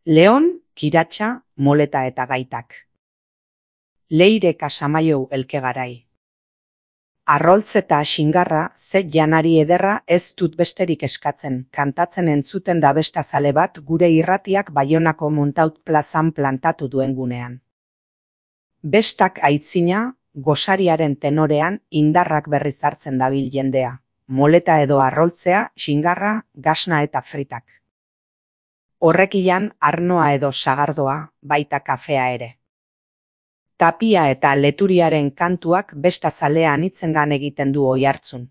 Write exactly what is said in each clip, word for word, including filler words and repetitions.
Leon, kiratxa, moleta eta gaitak. Leire Casamaiou elkegarai. Arroltz eta xingarra, ze janari ederra ez dut besterik eskatzen, kantatzen entzuten da bestazale bat gure irratiak Baionako Montaut plazan plantatu duen gunean. Bestak aitzina, gosariaren tenorean indarrak berriz hartzen dabil jendea, moleta edo arroltzea, xingarra, gasna eta fritak. Horrekian arnoa edo sagardoa, baita kafea ere. Tapia eta leturiaren kantuak bestazalea anitzengan egiten du oihartzun.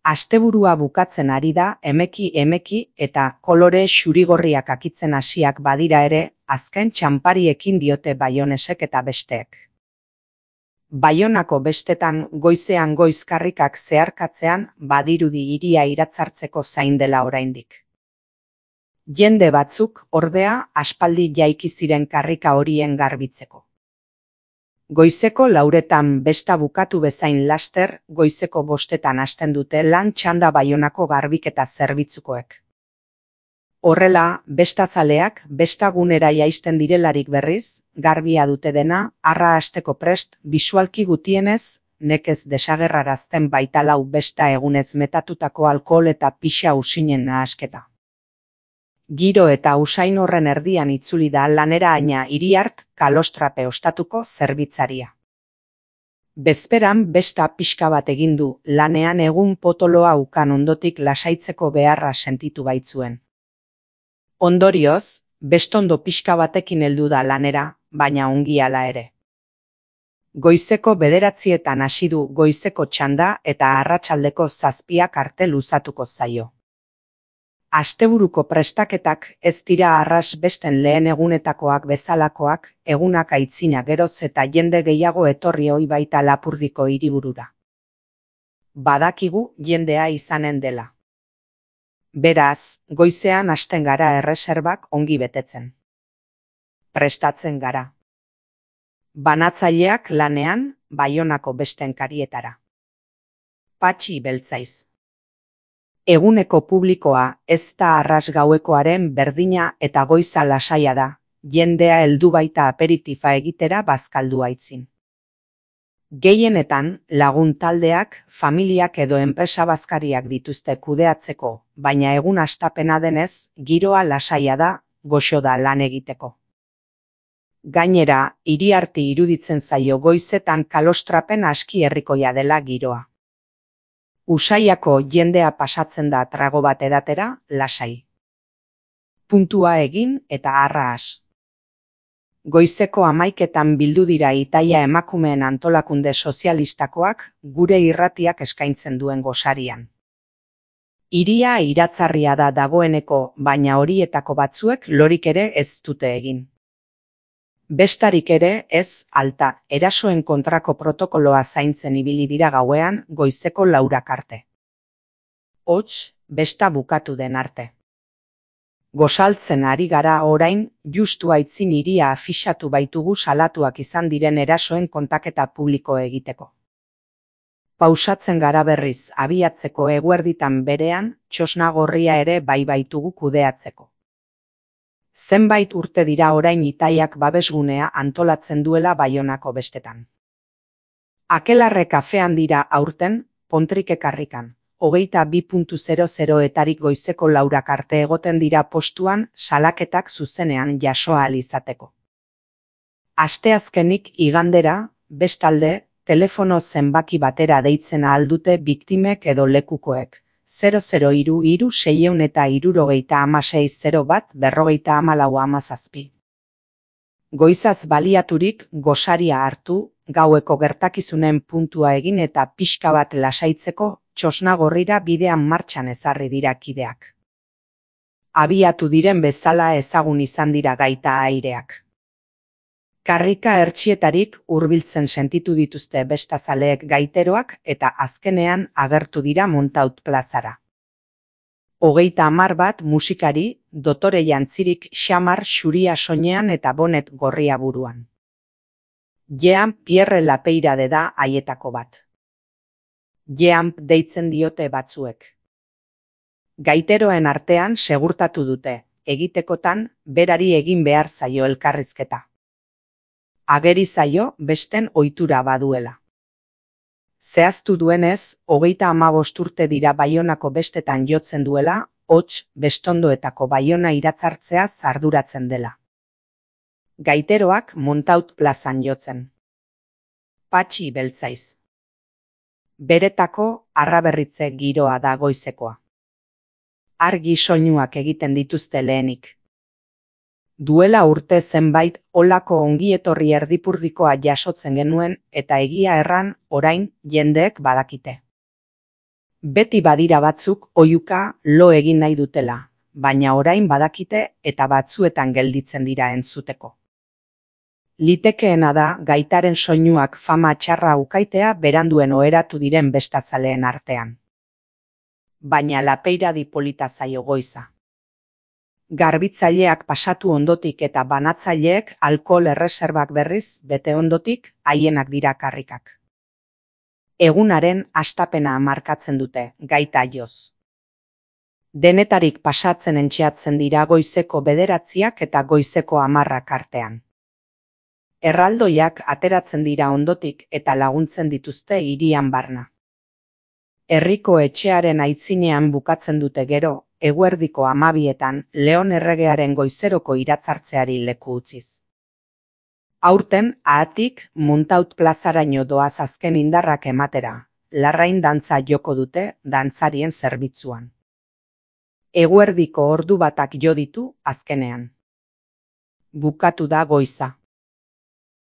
Asteburua bukatzen ari da emeki emeki eta kolore xurigorriak akitzen hasiak badira ere, azken txanpariekin diote Baionesek eta besteek. Baionako bestetan goizean goizkarrikak zeharkatzean badirudi hiria iratzartzeko zain dela oraindik. Jende batzuk, ordea, aspaldi jaiki ziren karrika horien garbitzeko. Goizeko lauretan besta bukatu bezain laster, goizeko bostetan hasten dute lan txanda Baionako garbiketa zerbitzukoek. Horrela, bestazaleak bestagunera jaisten direlarik berriz, garbia dute dena, arra hasteko prest, bisualki gutienez, nekez desagerrarazten baitalau besta egunez metatutako alkohol eta pixa usinen nahasketa. Giro eta usain horren erdian itzuli da lanera aina Iriart kalostrape ostatuko zerbitzaria. Bezperan besta pixka bat egin du, lanean egun potoloa ukan ondotik lasaitzeko beharra sentitu baitzuen. Ondorioz, bestondo pixka batekin heldu da lanera, baina ongi hala ere. Goizeko bederatzietan hasi du goizeko txanda eta arratsaldeko zazpiak arte luzatuko zaio. Asteburuko prestaketak ez dira arras besten lehen egunetakoak bezalakoak, egunak aitzina geroz eta jende gehiago etorri ohi baita Lapurdiko hiriburura. Badakigu jendea izanen dela. Beraz, goizean hasten gara erreserbak ongi betetzen. Prestatzen gara. Banatzaileak lanean, Baionako besten karietara. Patxi beltzaiz. Eguneko publikoa ez da arras gauekoaren berdina eta goiza lasaia da, jendea heldu baita aperitifa egitera bazkaldu aitzin. Gehienetan lagun taldeak, familiak edo enpresa bazkariak dituzte kudeatzeko, baina egun hastapena denez, giroa lasaia da, goxo da lan egiteko. Gainera, Iriarti iruditzen zaio goizetan kalostrapen aski herrikoia dela giroa. Usaiako jendea pasatzen da trago bat edatera, lasai. Puntua egin eta arra has. Goizeko hamaiketan bildu dira Itaia emakumeen antolakunde sozialistakoak gure irratiak eskaintzen duen gosarian. Hiria iratzarria da dagoeneko, baina horietako batzuek lorik ere ez dute egin. Bestarik ere ez, alta, erasoen kontrako protokoloa zaintzen ibili dira gauean goizeko laurak arte. Hots, besta bukatu den arte. Gosaltzen ari gara orain, justu aitzin hiria afixatu baitugu salatuak izan diren erasoen kontaketa publiko egiteko. Pausatzen gara berriz abiatzeko eguerditan berean, txosna gorria ere bai baitugu kudeatzeko. Zenbait urte dira orain Itaiak babesgunea antolatzen duela Baionako bestetan. Akelarre kafean dira aurten, Pontrike karrikan, hogeita bi puntu zero zero etarik goizeko laurak arte egoten dira postuan salaketak zuzenean jaso ahal izateko. Asteazkenik igandera, bestalde, telefono zenbaki batera deitzen ahal dute biktimek edo lekukoek. zero zero hiru hiru seiehun eta hirurogeita hamasei zero bat berrogeita hamalau hamazazpi. Goizaz baliaturik gosaria hartu, gaueko gertakizunen puntua egin eta pixka bat lasaitzeko txosna gorrira bidean martxan ezarri dira kideak. Abiatu diren bezala ezagun izan dira gaita aireak. Karrika hertsietarik hurbiltzen sentitu dituzte bestazaleek gaiteroak eta azkenean agertu dira Montaut plazara. Hogeita hamar bat musikari, dotore jantzirik xamar xuria soinean eta bonet gorria buruan. Jean Pierre Lapeirade da haietako bat. Jean deitzen diote batzuek. Gaiteroen artean segurtatu dute, egitekotan berari egin behar zaio elkarrizketa. Ageri zaio besten ohitura baduela. Zehaztu duenez, hogeita hamabost urte dira Baionako bestetan jotzen duela, hots bestondoetako Baiona iratzartzeaz arduratzen dela. Gaiteroak Montaut plazan jotzen. Patxi Beltzaiz. Beretako arraberritze giroa da goizekoa. Argi soinuak egiten dituzte lehenik. Duela urte zenbait olako ongietorri erdipurdikoa jasotzen genuen eta egia erran orain jendeek badakite. Beti badira batzuk oihuka lo egin nahi dutela, baina orain badakite eta batzuetan gelditzen dira entzuteko. Litekeena da gaitaren soinuak fama txarra ukaitea beranduen oheratu diren bestazaleen artean. Baina lapeiradi polita zaio goiza. Garbitzaileak pasatu ondotik eta banatzaileek alkohol erreserbak berriz bete ondotik haienak dira karrikak. Egunaren hastapena markatzen dute, gaita joz. Denetarik pasatzen entxeatzen dira goizeko bederatziak eta goizeko hamarrak artean. Erraldoiak ateratzen dira ondotik eta laguntzen dituzte hirian barna. Herriko etxearen aitzinean bukatzen dute gero, eguerdiko hamabietan Leon erregearen goizeroko iratzartzeari leku utziz. Aurten, ahatik, Montaut plazaraino doaz azken indarrak ematera, larrain dantza joko dute dantzarien zerbitzuan. Eguerdiko ordu batak jo ditu azkenean. Bukatu da goiza.